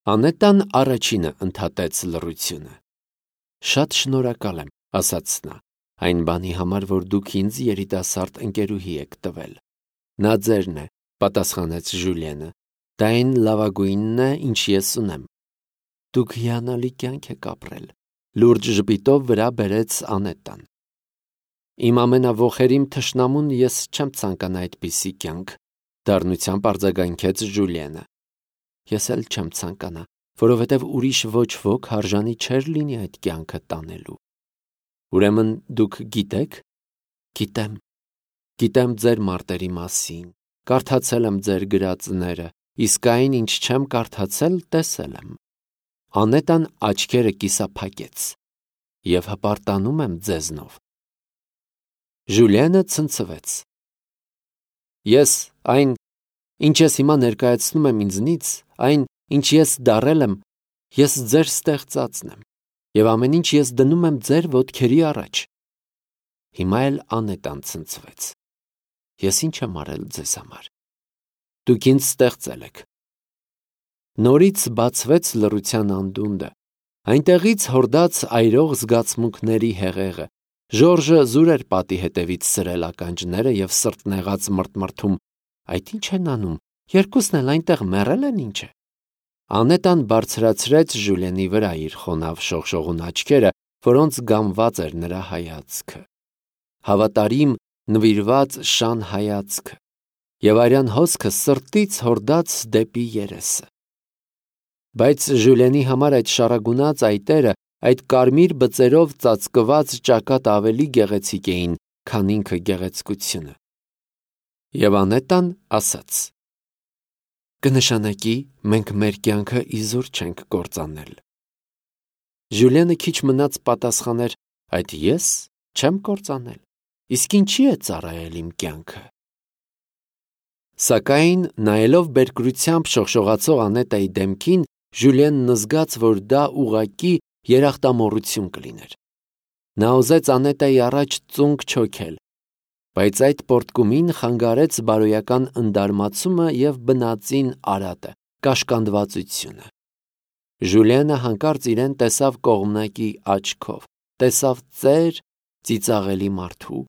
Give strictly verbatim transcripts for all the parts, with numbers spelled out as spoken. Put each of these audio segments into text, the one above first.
Անետան առաջինը ընդհատեց լռությունը։ Շատ շնորհակալ եմ, ասաց նա, այն բանի համար, որ դուք ինձ երիտասարդ ընկերուհի եք տվել։ Նա ձերն է, պատասխանեց Ժուլիենը, դա այն լավագույնն է, ինչ ես ունեմ։ Դուք հիանալի կյանք եք ապրել, լուրջ ժպիտով վրա բերեց Անետան։ Իմ ամենավոխերիմ թշնամուն ես չեմ ցանկանա այդպիսի կյանք, դառնությամբ արձագանքեց Ժուլիենը։ Ես էլ չեմ ցանկանա, որովհետև ուրիշ ոչ ոք հարժանի չէր լինի այդ կյանքը տանելու։ Ուրեմն դուք գիտեք։ Գիտեմ։ Գիտեմ ձեր մարտերի մասին, կարդացել եմ ձեր գրածները, իսկ այն, ինչ չեմ կարդացել, տեսել եմ։ Անետան աչքերը կիսափակեց։ Եվ հպարտանում եմ ձեզնով։ Ժուլիենը ցնցվեց։ Ես այն, ինչ ես հիմա ներկայացնում եմ ինձնից, այն, ինչ ես դառել եմ, ես ձեր ստեղծածն եմ, և ամեն ինչ ես դնում եմ ձեր ոտքերի առաջ։ Հիմա էլ Անետան ցնցվեց։ Ես ինչ եմ արել ձեզ համար։ Դուք ինձ ստեղծել եք։ Նորից բացվեց լռության անդունդը, այնտեղից հորդաց այրող զգացմունքների հեղեղը։ Ժորժը զուր էր պատի հետևից սրել ականջները և սրտնեղած մռթմռթում. այդ ինչ են անում, երկուսն էլ այնտեղ մեռել են ինչ է։ Անետան բարձրացրեց Ժուլիենի վրա իր խոնավ շողշողուն աչքերը, որոնց գամված էր նրա հայացքը։ Հավատարիմ, նվիրված շան հայացքը, և արյան հոսքը սրտից հորդաց դեպի երեսը։ Բայց Ժուլիենի համար այդ շարագունած այտերը, այդ կարմիր բծերով ծածկված ճակատ ավելի գեղեցիկ էին, քան ինքը գեղեցկությունը։ Եվ Անետան ասաց. կնշանակի, մենք մեր կյանքը իզուր չենք կործանել։ Ժուլիենը քիչ մնաց պատասխաներ. այդ ես չեմ կործանել, իսկ ինչի է ծառայել իմ կյանքը։ Սակայն, նայելով բերկրությամբ շողշողացող Անետայի դեմքին, Ժուլիենն զգաց, որ դա ուղղակի երախտամոռություն կլիներ։ Նա ուզեց Անետայի առաջ ծունկ չոքել, բայց այդ պոռթկումին խանգարեց բարոյական ընդարմացումը և բնածին արատը, կաշկանդվածությունը։ Ժուլիենը հանկարծ իրեն տեսավ կողմնակի աչքով, տեսավ ծեր, ծիծաղելի մարդու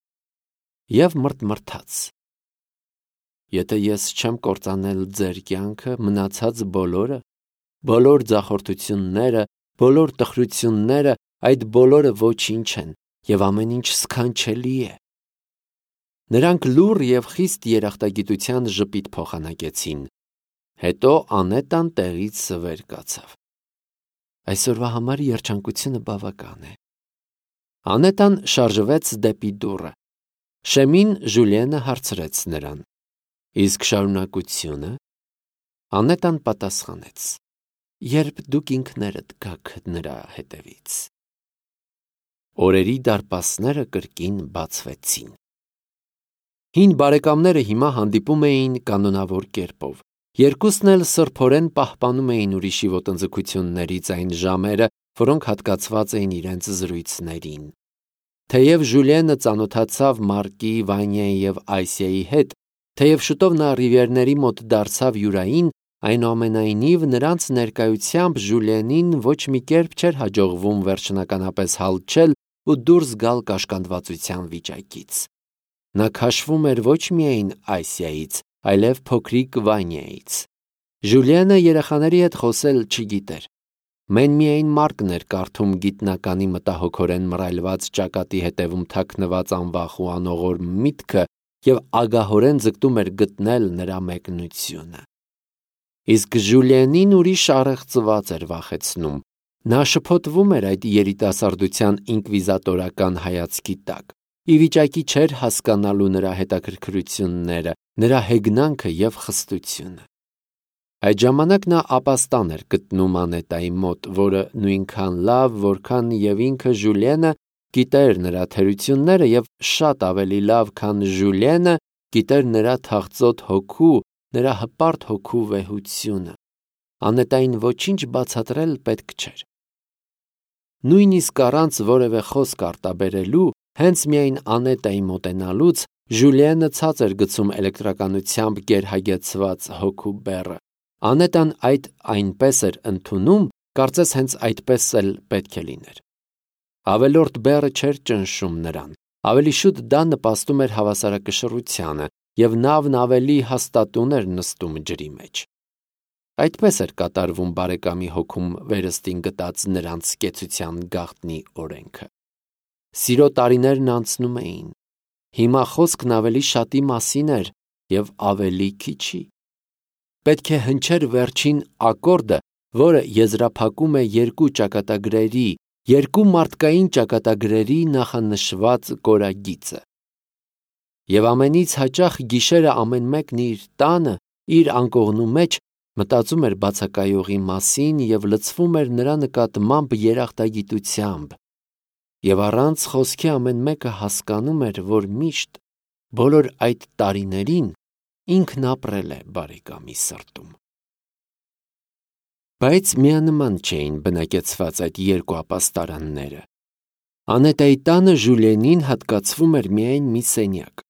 և մռթմռթաց։ Եթե ես չեմ կործանել ձեր կյանքը, մնացած բոլորը, բոլոր ձախորդությունները, բոլոր տխրությունները, այդ բոլորը ոչինչ են, և ամեն ինչ սքանչելի է։ Նրանք լուռ և խիստ երախտագիտության ժպիտ փոխանակեցին։ Հետո Անետան տեղից վեր կացավ։ Այսօրվա համար երջանկությունը բավական է։ Անետան շարժվեց դեպի դուռը։ Շեմին Ժուլիենը հարցրեց նրան. իսկ շարունակությունը։ Անետան պատասխանեց. երբ դուք ինքներդ գաք նրա հետևից։ Օրերի դարպասները կրկին բացվեցին։ Հին բարեկամները հիմա հանդիպում էին կանոնավոր կերպով։ Երկուսն էլ սրբորեն պահպանում էին ուրիշի ոտնձգություններից այն ժամերը, որոնք հատկացված էին իրենց զրույցներին։ Թեև Ժուլիենը ծանոթացավ Մարկի, Վանյայի և Այսիայի հետ, թեև շուտով նա Ռիվիերների մոտ դարձավ յուրային, այնուամենայնիվ նրանց ներկայությամբ Ժուլիենին ոչ մի կերպ չէր հաջողվում վերջնականապես հալչել ու դուրս գալ կաշկանդվածության վիճակից։ Նա քաշվում էր ոչ միայն Այսիայից, այլև փոքրիկ Վանյայից։ Ժուլիենը երեխաների հետ խոսել չգիտեր։ Մեն միայն Մարկն էր կարդում գիտնականի մտահոգորեն մռայլված ճակատի հետևում թաքնված անվախ ու անողորմ միտքը և ագահորեն ձգտում էր գտնել նրա մեկնությունը։ Իսկ Ժուլիենին ուրիշ առեղծված էր վախեցնում։ Նա շփոթվում էր այդ երիտասարդության ինկվիզատորական հայացքի տակ, ի վիճակի չէր հասկանալու նրա հետաքրքրությունները, նրա հեգնանքը և խստությունը։ Այդ ժամանակ նա ապաստան էր գտնում Անետայի մոտ, որը նույնքան լավ, որքան և ինքը Ժուլիենը գիտեր նրա թերությունները և շատ ավելի լավ, քան Ժուլիենը գիտեր նրա թախծոտ հոգու, նրա հպարտ հոգու վեհությունը։ Անետային ոչինչ բացատրել պետք չէր։ Նույնիսկ առանց որևէ խոսք արտաբերելու, հենց միայն Անետայի մոտենալուց Ժուլիենը ցած էր գցում էլեկտրականությամբ գերհագեցված հոգու բեռը, Անետան այդ այնպես էր ընդունում, կարծես հենց այդպես էլ պետք է լիներ։ Ավելորդ բեռը չէր ճնշում նրան, ավելի շուտ դա նպաստում էր հավասարակշռությանը, և նավն ավելի հաստատուն էր նստում ջրի մեջ։ Այդպես էր կատարվում բարեկամի հոգում վերստին գտած նրանց կեցության գաղտնի օրենքը։ Սիրո տարիներն անցնում էին։ Հիմա խոսքն ավելի շատի մասին էր և ավելի քիչի։ Պետք է հնչեր վերջին ակորդը, որը եզրափակում է երկու ճակատագրերի, երկու մարդկային ճակատագրերի նախանշված կորագիծը։ Եվ ամենից հաճախ գիշերը ամեն մեկն իր տանը, իր անկողնու մեջ մտածում էր բացակայողի մասին և լցվում էր նրա նկատմամբ երախտագիտությամբ, և առանց խոսքի ամեն մեկը հասկանում էր, որ միշտ, բոլոր այդ տարիներին ինքն ապրել է բարեկամի սրտում։ Բայց միանման չէին բնակեցված այդ երկու ապաստարանները։ Անետայի տանը Ժուլիենին հատկացվում էր միայն մի սենյակ։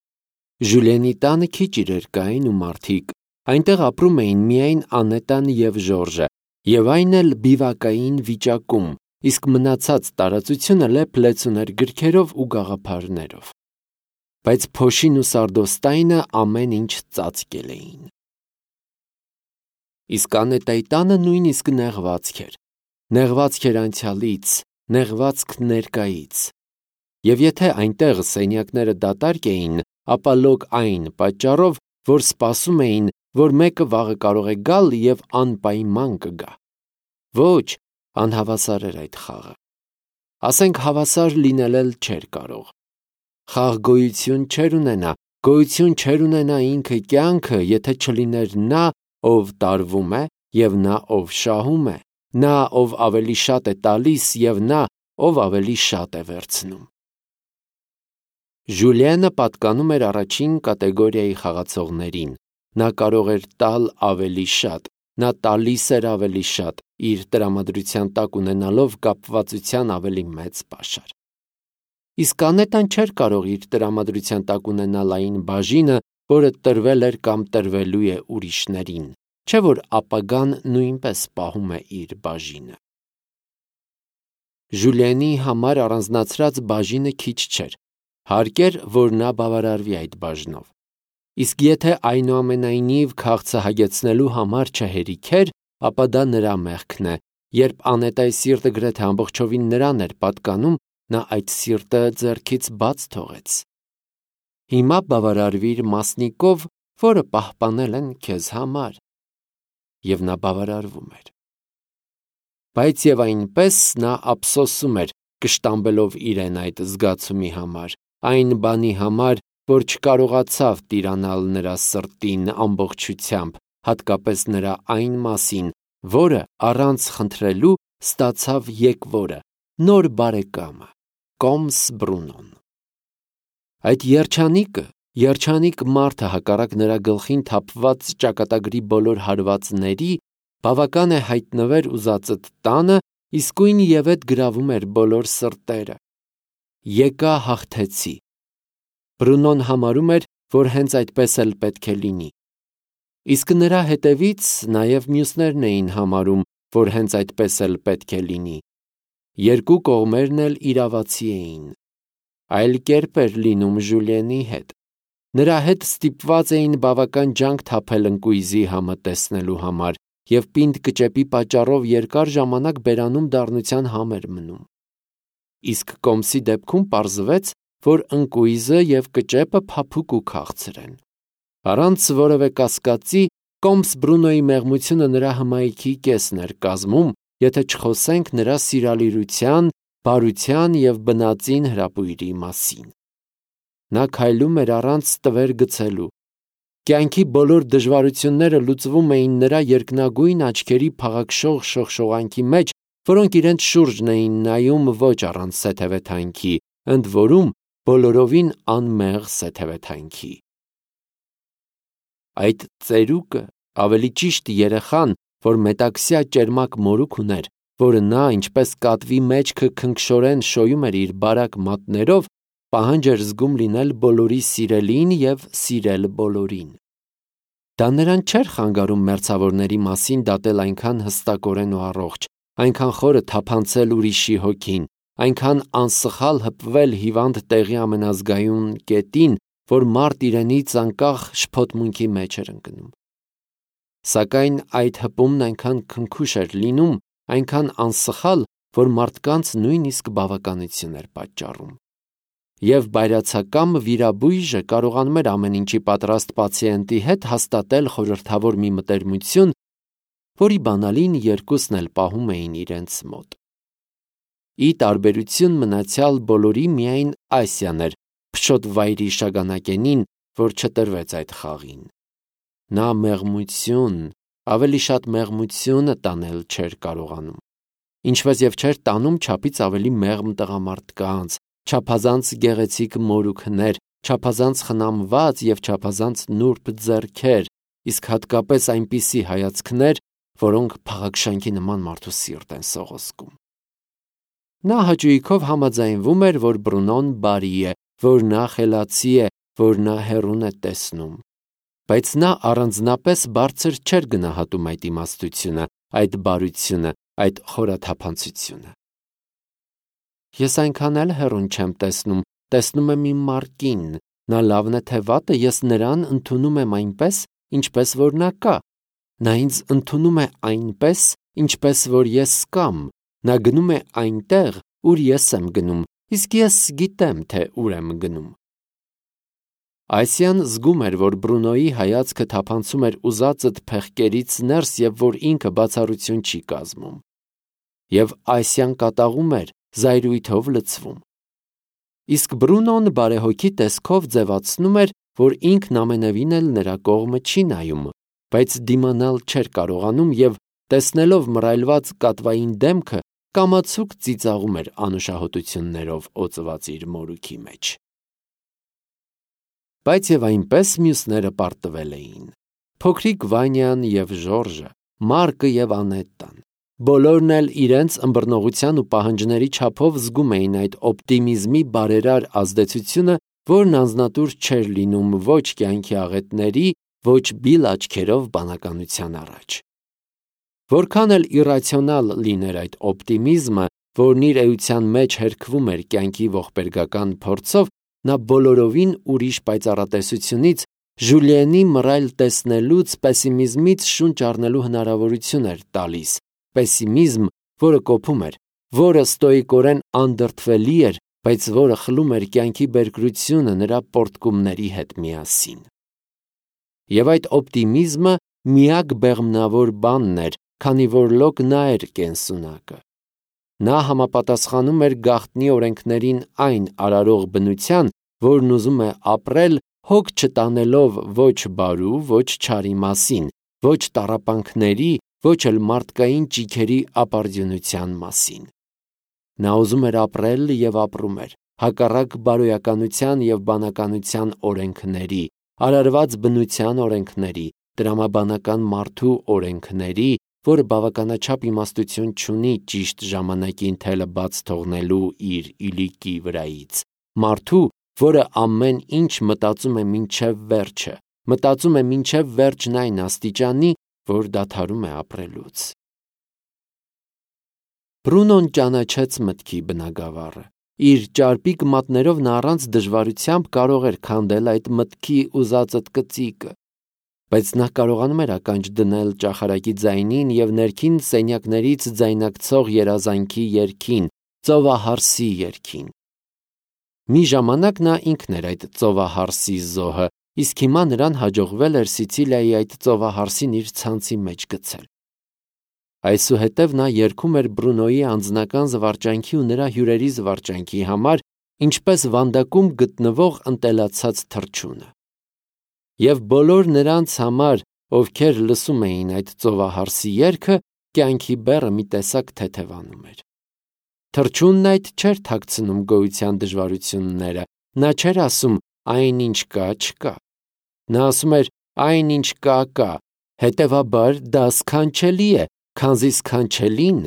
Ժուլիենի տանը քիչ իրեր կային ու մարդիկ, այնտեղ ապրում էին միայն Անետան և Ժորժը, և այն էլ բիվակային վիճակում, իսկ մնացած տարածությունը լեփ-լեցուն էր գրքերով ու գաղափարներով։ Բայց փոշին ու սարդոստայնը ամեն ինչ ծածկել էին։ Իսկ Անետայի տանը նույնիսկ նեղվածք էր։ Նեղվածք էր անցյալից, նեղվածք ներկայից։ Եվ եթե այնտեղ սենյակները դատարկ էին, ապա լոկ այն պատճառով, որ սպասում էին, որ մեկը վաղը կարող է գալ և անպայման կգա։ Ոչ, անհավասար էր այդ խաղը։ Ասենք հավասար լինել էլ չէր կարող։ Խաղ գոյություն չէր ունենա, գոյություն չէր ունենա ինքը կյանքը, եթե չլիներ նա, ով տարվում է, և նա, ով շահում է, նա, ով ավելի շատ է տալիս, և նա, ով ավելի շատ է վերցնում։ Ժուլիենը պատկանում էր առաջին կատեգորիայի խաղացողներին։ Նա կարող էր տալ ավելի շատ, նա տալիս էր ավելի շատ, իր տրամադրության տակ ունենալով կապվածության ավելի մեծ պաշար։ Իսկ Անետան չէր կարող իր տրամադրության տակ ունենալ այն բաժինը, որը տրվել էր կամ տրվելու է ուրիշներին, չէ՞ որ ապագան նույնպես պահում է իր բաժինը։ Ժուլիենի համար առանձնացրած բաժինը քիչ չէր, հարկ էր, որ նա բավարարվի այդ բաժնով։ Իսկ եթե այնուամենայնիվ քաղցը հագեցնելու համար չհերիք էր, ապա դա նրա մեղքն է, երբ Անետայի սիրտը գրեթե ամբողջովին նրան էր պատկանում, նա այդ սիրտը ձեռքից բաց թողեց։ Հիմա բավարարվիր մասնիկով, որը պահպանել են քեզ համար։ Եվ նա բավարարվում էր։ Բայց և այնպես նա ափսոսում էր, կշտամբելով իրեն այդ զգացումի համար, այն բանի համար, որ չկարողացավ տիրանալ նրա սրտին ամբողջությամբ, հատկապես նրա այն մասին, որը առանց խնդրելու ստացավ եկվորը, նոր բարեկամը, Կոմս Բրունոն։ Այդ երջանիկը, երջանիկ մարդը հակառակ նրա գլխին թափված ճակատագրի բոլոր հարվածների, բավական է հայտնվեր ուզածդ տանը, իսկույն ևեթ գրավում էր բոլոր սրտերը։ Եկա հաղթեցի։ Բրունոն համարում էր, որ հենց այդպես էլ պետք է լինի։ Իսկ նրա հետևից նաև մյուսներն էին համարում, որ հենց այդպես էլ պետք է լինի։ Երկու կողմերն էլ իրավացի էին։ Այլ կերպ էր լինում Ժուլիենի հետ։ Նրա հետ ստիպված էին բավական ջանք թափել ընկույզի համը տեսնելու համար, և պինդ կճեպի պատճառով երկար ժամանակ բերանում դառնության համ էր մնում։ Իսկ Կոմսի դեպքում պարզվեց, որ ընկույզը և կճեպը փափուկ ու քաղցր են։ Առանց որևէ կասկածի, Կոմս Բրունոյի մեղմությունը նրա հմայքի կեսն էր կազմում, եթե չխոսենք նրա սիրալիրության, բարության և բնածին հրապույրի մասին։ Նա քայլում էր առանց տվեր գցելու։ Կյանքի բոլոր դժվարությունները լուծվում էին նրա երկնագույն աչքերի փաղաքշող շողշողանքի մեջ, որոնք իրենց շուրջն էին նայում ոչ առանց սեթևեթանքի, ընդ որում բոլորովին անմեղ սեթևեթանքի։ Այդ ծերուկը, ավելի ճիշտ երեխան, որ մետաքսյա ճերմակ մորուք ուներ, որը նա, ինչպես կատվի մեջքը քնքշորեն շոյում էր իր բարակ մատներով, պահանջ էր զգում լինել բոլորի սիրելին և սիրել բոլորին։ Դա նրան չէր խանգարում մերձավորների մասին դատել այնքան հստակորեն ու առողջ, այնքան խորը թափանցել ուրիշի հոգին, այնքան անսխալ հպվել հիվանդ տեղի ամենազգայուն կետին, որ մարդ իրենից անկախ շփոթմունքի մեջ էր ընկնում։ Սակայն այդ հպումն այնքան քնքուշ էր լինում, այնքան անսխալ, որ մարդկանց նույնիսկ բավականություն էր պատճառում։ Եվ բայրացակամ վիրաբույժը կարողանում էր ամեն ինչի պատրաստ պացիենտի հետ հաստատել խորհրդավոր մի մտերմություն, որի բանալին երկուսն էլ պահում էին իրենց մոտ։ Ի տարբերություն մնացյալ բոլորի միայն Ասիան էր փշոտ վայրի շագանակենին, որ չտրվեց այդ խաղին։ Նա մեղմություն, ավելի շատ մեղմությունը տանել չէր կարողանում, ինչպես եւ չէր տանում չափից ավելի մեղմ տղամարդկանց, չափազանց գեղեցիկ մորուքներ, չափազանց խնամված եւ չափազանց նուրբ ձեռքեր, իսկ հատկապես այնպիսի հայացքներ, որոնք փաղաքշանքի նման մարդու սիրտ են սողոսկում։ Նա հաճույքով համաձայնվում էր, որ Բրունոն բարի է, որ նա խելացի է, որ նա հեռուն է տեսնում, բայց նա առանձնապես բարձր չէր գնահատում այդ իմաստությունը, այդ բարությունը, այդ խորաթափանցությունը։ Ես այնքան էլ հեռուն չեմ տեսնում, տեսնում եմ իմ Մարկին, նա լավն է թե վատը, ես նրան ընդունում եմ այնպես, ինչպես որ նա կա, նա ինձ ընդունում է այնպես, ինչպես որ ես կամ, նա գնում է այնտեղ, ուր ես եմ գնում, իսկ ես գիտեմ, թե ուր եմ գնում։ Ասիան զգում էր, որ Բրունոյի հայացքը թափանցում էր ուզածդ փեղկերից ներս եւ որ ինքը բացառություն չի կազմում։ Եվ Ասիան կատաղում էր, զայրույթով լցվում։ Իսկ Բրունոն բարեհոգի տեսքով ձևացնում էր, որ ինքն ամենևին էլ նրա կողմը չի նայում, բայց դիմանալ չէր կարողանում եւ տեսնելով մռայլված կատվային դեմքը կամացուկ ծիծաղում էր անուշահոտություններով օծված իր մորուքի մեջ։ Բայց եւ այնպես մյուսները պարտվել էին։ Փոքրիկ Վանյան եւ Ժորժը, Մարկը եւ Անետտան։ Բոլորն էլ իրենց ըմբռնողության ու պահանջների չափով զգում էին այդ օպտիմիզմի բարերար ազդեցությունը, որն անznատուր չէր լինում ոչ կյանքի աղետների, ոչ բիլ աչքերով բանականության առաջ։ Որքան էլ իռացիոնալ լիներ այդ օպտիմիզմը, որն իր էության մեջ հերքվում էր կյանքի ողբերգական փորձով, նա բոլորովին ուրիշ պայծառատեսությունից, Ժուլիենի մռայլ տեսնելուց, պեսիմիզմից շունչ առնելու հնարավորություն էր տալիս, պեսիմիզմ, որը կոփում էր, որը ստոիկորեն անդրդվելի էր, բայց որը խլում էր կյանքի բերկրությունը նրա պորտկումների հետ միասին։ Եվ այդ օպտիմիզմը միակ բեղմնավոր բանն էր, քանի որ լոկ նա էր կենսունակը։ Նա համապատասխանում էր գաղտնի օրենքներին այն արարող բնության, որն ուզում է ապրել հոգ չտանելով ոչ բարու, ոչ չարի մասին, ոչ տառապանքների, ոչ էլ մարդկային ճիգերի ապարդյունության մասին։ Նա ուզում էր ապրել եւ ապրում էր, հակառակ բարոյականության եւ բանականության օրենքների, արարված բնության օրենքների, տրամաբանական մարդու օրենքների, որը բավականաչափ իմաստություն չունի ճիշտ ժամանակին թելը բաց թողնելու իր իլիկի վրայից, մարդու, որը ամեն ինչ մտածում է մինչև վերջը, մտածում է մինչև վերջն այն աստիճանի, որ դադարում է ապրելուց։ Բրունոն ճանաչեց մտքի բնագավառը։ Իր ճարպիկ մատներով նա առանց դժվարությամբ կարող էր քանդել այդ մտքի ուզածդ կծիկը, բայց նա կարողանում էր ականջ դնել ճախարակի ձայնին եւ ներքին սենյակներից ձայնակցող երազանքի երգին, ծովահարսի երգին։ Մի ժամանակ նա ինքն էր այդ ծովահարսի զոհը, իսկ հիմա նրան հաջողվել էր Սիցիլիայի այդ ծովահարսին իր ցանցի մեջ գցել։ Այսուհետև նա երգում էր Բրունոյի անձնական զվարճանքի ու նրա հյուրերի զվարճանքի համար, ինչպես վանդակում գտնվող ընտելացած թռչունը։ Եվ բոլոր նրանց համար, ովքեր լսում էին այդ ծովահարսի երգը, կյանքի բեռը մի տեսակ թեթևանում էր։ Թռչունն այդ չէր թաքցնում գոյության դժվարությունները, նա չէր ասում այն ինչ կա, չկա։ Նա ասում էր այն ինչ կա, կա, հետևաբար դա սքանչելի է, քանզի սքանչելին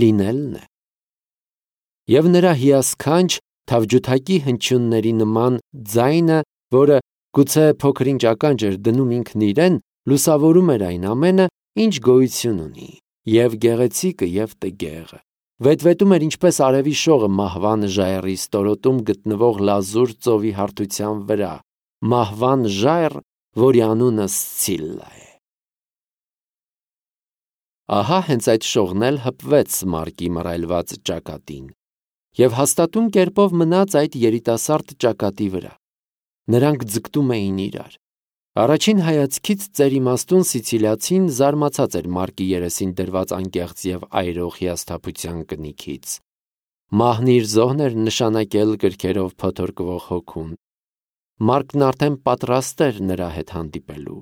լինելն է։ Եվ նրա հիասքանչ թավջութակի հնչյունների նման ձայնը, որը գուցե փոքր-ինչ ականջ էր դնում ինքն իրեն, լուսավորում էր այն ամենը, ինչ գոյություն ունի, և գեղեցիկը և տգեղը, վետվետում էր ինչպես արևի շողը մահվան ժայռի ստորոտում գտնվող լազուր ծովի հարթության վրա, մահվան ժայռ, որի անունը Սցիլլա է։ Ահա հենց այդ շողն էլ հպվեց Մարկի մռայլված ճակատին և հաստատուն կերպով մնաց այդ երիտասարդ ճակատի վրա։ Նրանք ձգտում էին իրար։ Առաջին հայացքից ծերիմաստուն սիցիլիացին զարմացած էր Մարկի երեսին դրված անկեղծ և այրող հիասթափության կնիքից։ Մահն իր զոհն էր նշանակել գրքերով փոթորկվող հոգուն։ Մարկն արդեն պատրաստ էր նրա հետ հանդիպելու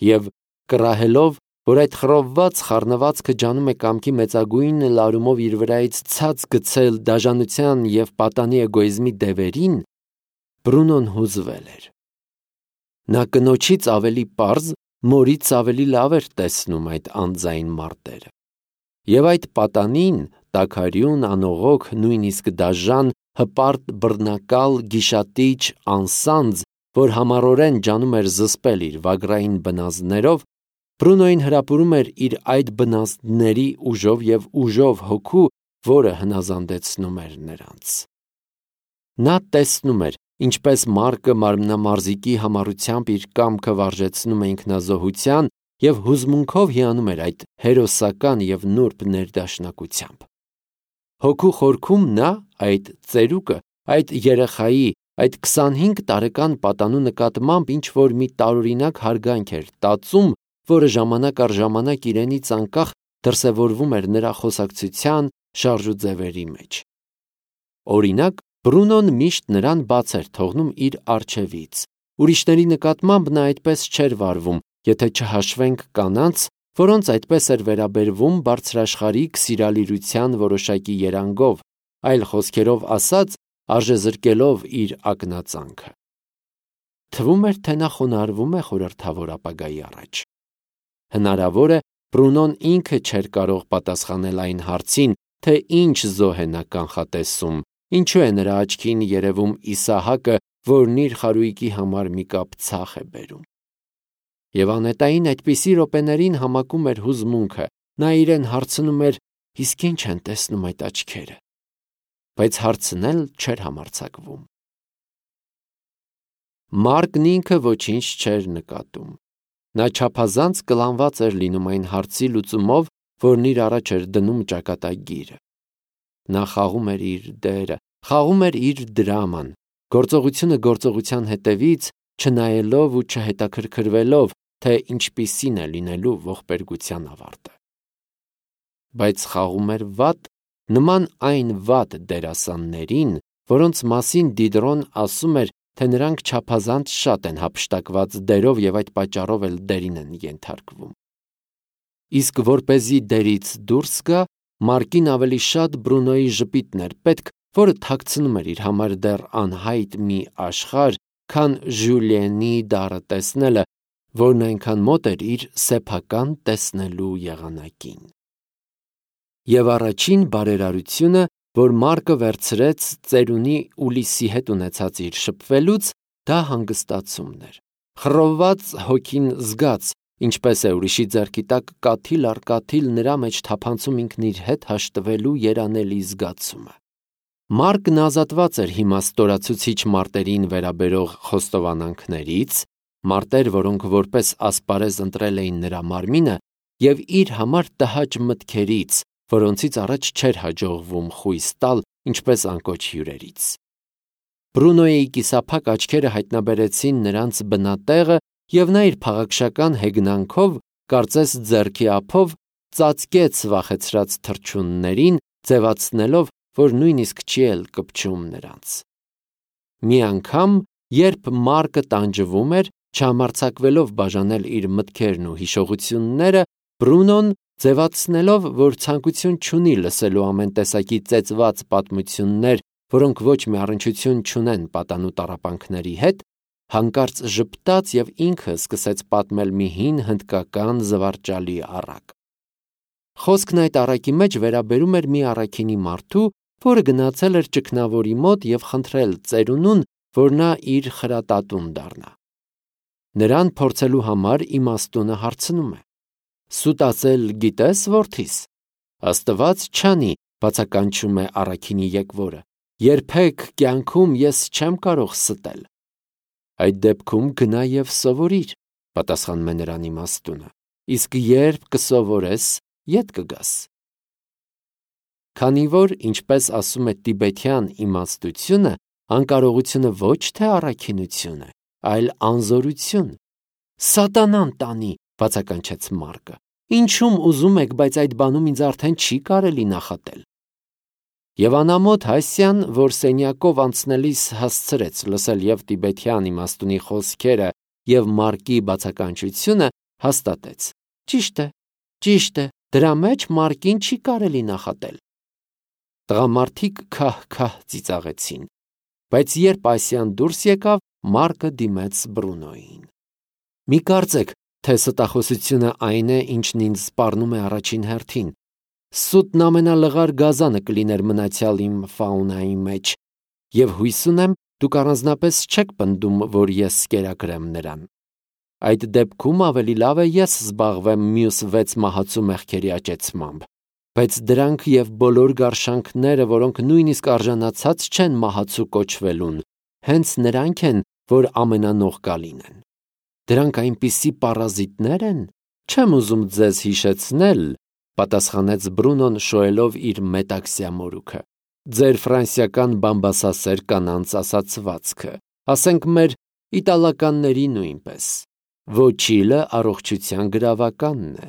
և կռահելով, որ այդ խռովված խառնվածքը ջանում է կամքի մեծագույն լարումով իր վրայից ցած գցել դաժանության և պատանի էգոիզմի դևերին, Բրունոն հուզվել էր։ Նա կնոջից ավելի պարզ, մորից ավելի լավ էր տեսնում այդ անձայն մարտերը։ Եվ այդ պատանին, տաքարյուն, անողոք, նույնիսկ դաժան, հպարտ, բռնակալ, գիշատիչ, անսանձ, որ համառորեն ջանում էր զսպել իր վագրային բնազդներով, Բրունոյին հրապուրում էր իր այդ բնազդների ուժով և ուժով հոգու, որը հնազանդեցնում էր նրանց։ Նա տեսնում էր, ինչպես Մարկը մարմնամարզիկի համառությամբ իր կամքը վարժեցնում է ինքնազոհության և հուզմունքով հիանում էր այդ հերոսական և նուրբ ներդաշնակությամբ։ Հոգու խորքում նա այդ ծերուկը, այդ երեխայի, այդ քսանհինգ տարեկան պատանու նկատմամբ ինչ-որ մի տարօրինակ հարգանք էր տածում, որը ժամանակ առ ժամանակ իրենից անկախ դրսևորվում էր նրա խոսակցության շարժուձևերի մեջ։ Օրինակ, Բրունոն միշտ նրան բաց էր թողնում իր առջևից։ Ուրիշների նկատմամբ նա այդպես չէր վարվում, եթե չհաշվենք կանանց, որոնց այդպես էր վերաբերվում բարձրաշխարհիկ սիրալիրության որոշակի երանգով, այլ խոսքերով ասած, արժեզրկելով իր ակնածանքը։ Թվում էր, թե նա խոնարհվում է խորհրդավոր ապագայի առաջ։ Հնարավոր է, Բրունոն ինքը չէր կարող պատասխանել այն հարցին, թե ինչ զոհ է նա կանխատեսում, ինչու է նրա աչքին երևում Իսահակը, որն իր խարույկի համար մի կապ ցախ է բերում։ Եվ անհետային այդպիսի րոպեներին համակում էր հուզմունքը, նա իրեն հարցնում էր. իսկ ինչ են տեսնում այդ աչքերը, բայց հարցնել չէր համարձակվում։ Մարկն ինքը ոչինչ չէր նկատում։ Նա չափազանց կլանված էր լինում այն հարցի լուծումով, որն իր առաջ էր դնում ճակատագիրը։ Նա խաղում էր իր դերը, խաղում էր իր դրաման, գործողությունը գործողության հետևից, չնայելով ու չհետաքրքրվելով, թե ինչպիսին է լինելու ողբերգության ավարտը։ Բայց խաղում էր վատ, նման այն վատ դերասաններին, որոնց մասին Դիդրոն ասում էր, թե նրանք չափազանց շատ են հափշտակված դերով և այդ պատճառով էլ դերին են ենթարկվում։ Իսկ որպեսզի դերից դուրս գա, Մարկին ավելի շատ Բրունոյի ժպիտն էր պետք, որը թաքցնում էր իր համար դեռ անհայտ մի աշխարհ, քան Ժյուլիենի դառը տեսնելը, որն այնքան մոտ էր իր սեփական տեսնելու եղանակին։ Եվ առաջին բարերարությունը, որ Մարկը վերցրեց ծերունի Ուլիսի հետ ունեցած իր շփվելուց, դա հանգստացումն էր։ Խռովված հոգին զգաց, ինչպես է ուրիշի ձեռքի տակ կաթիլ առ կաթիլ նրա մեջ թափանցում ինքն իր հետ հաշտվելու երանելի զգացումը։ Մարկն ազատված էր հիմա ստորացուցիչ մարտերին վերաբերող խոստովանանքներից, մարտեր, որոնք որպես ասպարեզ ընտրել էին նրա մարմինը, և իր համար տհաճ մտքերից, որոնցից առաջ չէր հաջողվում խույս տալ, ինչպես անկոչ հյուրերից։ Բրունոյի կիսափակ աչքերը հայտնաբերեցին նրանց բնատեղը, և նա իր փաղաքշական հեգնանքով, կարծես ձեռքի ափով, ծածկեց վախեցրած թռչուններին, ձևացնելով, որ նույնիսկ չի էլ կպչում նրանց։ Մի անգամ, երբ Մարկը տանջվում էր, չհամարձակվելով բաժանել իր մտքերն ու հիշողությունները, Բրունոն, ձևացնելով, որ ցանկություն չունի լսելու ամեն տեսակի ծեծված պատմություններ, որոնք ոչ մի առնչություն չունեն պատանու տառապանքների հետ, հանկարծ ժպտաց և ինքը սկսեց պատմել մի հին հնդկական զվարճալի առակ։ Խոսքն այդ առակի մեջ վերաբերում էր մի առաքինի մարդու, որը գնացել էր ճգնավորի մոտ և խնդրել ծերունուն, որ նա իր խրատատուն դառնա։ Նրան փորձելու համար իմաստունը հարցնում է. «Սուտացել գիտես, որդիս»։ Աստված չանի, բացականչում է առաքինի եկվորը։ Երբեք կյանքում ես չեմ կարող ստել։ Այդ դեպքում գնա և սովորիր, պատասխանում է նրան իմաստունը, իսկ երբ կսովորես, ետ կգաս։ Քանի որ, ինչպես ասում է տիբեթյան իմաստությունը, անկարողությունը ոչ թե առաքինություն է, այլ անզորություն։ Սատանան տանի, բացականչեց Մարկը։ Ինչում ուզում եք, բայց այդ բանում ինձ արդեն չի կարելի նախատել։ Եվ անամոթ Հասյան, որ սենյակով անցնելիս հասցրեց լսել և տիբեթյան իմաստունի խոսքերը և Մարկի բացականչությունը, հաստատեց. Ճիշտ է, ճիշտ է, դրա մեջ Մարկին չի կարելի նախատել։ Տղամարդիկ քահ-քահ ծիծաղեցին, բայց երբ Ասիան դուրս եկավ, Մարկը դիմեց Բրունոյին։ Մի կարծեք, թե ստախոսությունը այն է, ինչն ինձ սպառնում է առաջին հերթին։ Սուտն ամենալղար գազանը կլիներ մնացյալ իմ ֆաունայի մեջ, և հույս ունեմ, դուք առանձնապես չեք պնդում, որ ես կերակրեմ նրան։ Այդ դեպքում ավելի լավ է ես զբաղվեմ մյուս վեց մահացու մեղքերի աճեցմամբ, բայց դրանք և բոլոր գարշանքները, որոնք նույնիսկ արժանացած չեն մահացու կոչվելուն, հենց նրանք են, որ ամենանող կլինեն։ Դրանք այնպիսի պարազիտներ են, չեմ ուզում ձեզ հիշեցնել, պատասխանեց Բրունոն շոյելով իր մետաքսյա մորուքը։ Ձեր ֆրանսիական բամբասասեր կանանց ասացվածքը, ասենք մեր իտալականների նույնպես։ Ոչիլը առողջության գրավականն է,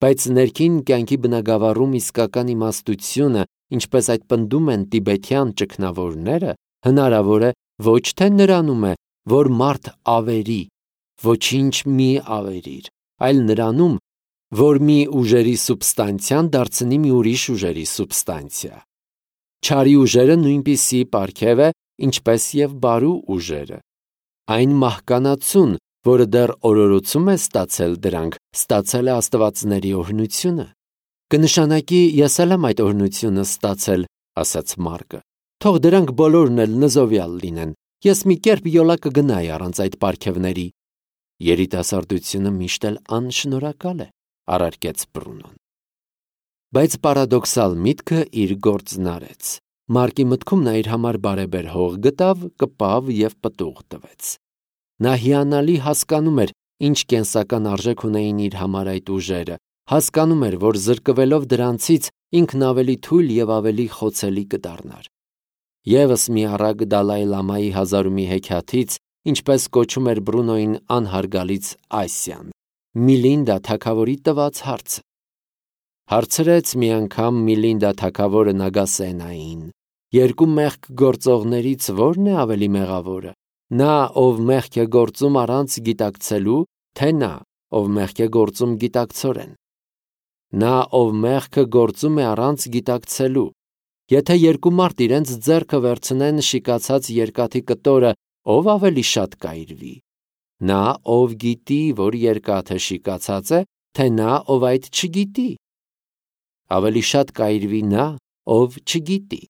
բայց ներքին կյանքի բնագավառում իսկական իմաստությունը, ինչպես այդ պնդում են տիբեթյան ճգնավորները, հնարավոր է ոչ թե նրանում է, որ մարդ ավերի, ոչինչ մի ավերիր, այլ նրանում, որ մի ուժերի սուբստանցիան դարձնի մի ուրիշ ուժերի սուբստանցիա։ Չարի ուժերը նույնպիսի պարգև է, ինչպես և բարու ուժերը։ Այն մահկանացուն, որը դեռ օրորոցում է ստացել դրանք, ստացել է աստվածների օրհնությունը։ Կնշանակի ես էլ եմ այդ օրհնությունը ստացել, ասաց Մարկը։ Թող դրանք բոլորն էլ նզովյալ լինեն, ես մի կերպ յոլա կգնայի առանց այդ պարգևների։ Երիտասարդությունը միշտ էլ անշնորհակալ է, առարկեց Բրունոն։ Բայց պարադոքսալ միտքը իր գործն արեց։ Մարկի մտքում նա իր համար բարեբեր հող գտավ, կպավ և պտուղ տվեց։ Նա հիանալի հասկանում էր, ինչ կենսական արժեք ունեին իր համար այդ ուժերը, հասկանում էր, որ զրկվելով դրանցից ինքն ավելի թույլ և ավելի խոցելի կդառնար։ Եվս մի առակ Դալայ Լամայի հազարումի հեքիաթից, ինչպես կոչում էր Բրունոյին անհարգալից Ասիան, Միլինդա թագավորի տված հարցը։ Հարցրեց մի անգամ Միլինդա թագավորը Նագասենային. երկու մեղք գործողներից ո՞րն է ավելի մեղավորը, նա, ով մեղք է գործում առանց գիտակցելու, թե նա, ով մեղք է գործում գիտակցորեն։ Նա, ով մեղքը գործում է առանց գիտակցելու։ Եթե երկու մարդ իրենց ձեռքը վերցնեն շիկացած երկաթի կտորը, ով ավելի շատ կայրվի։ Նա, ով գիտի, որ երկաթը շիկացած է, թե նա, ով այդ չգիտի։ Ավելի շատ կայրվի նա, ով չգիտի։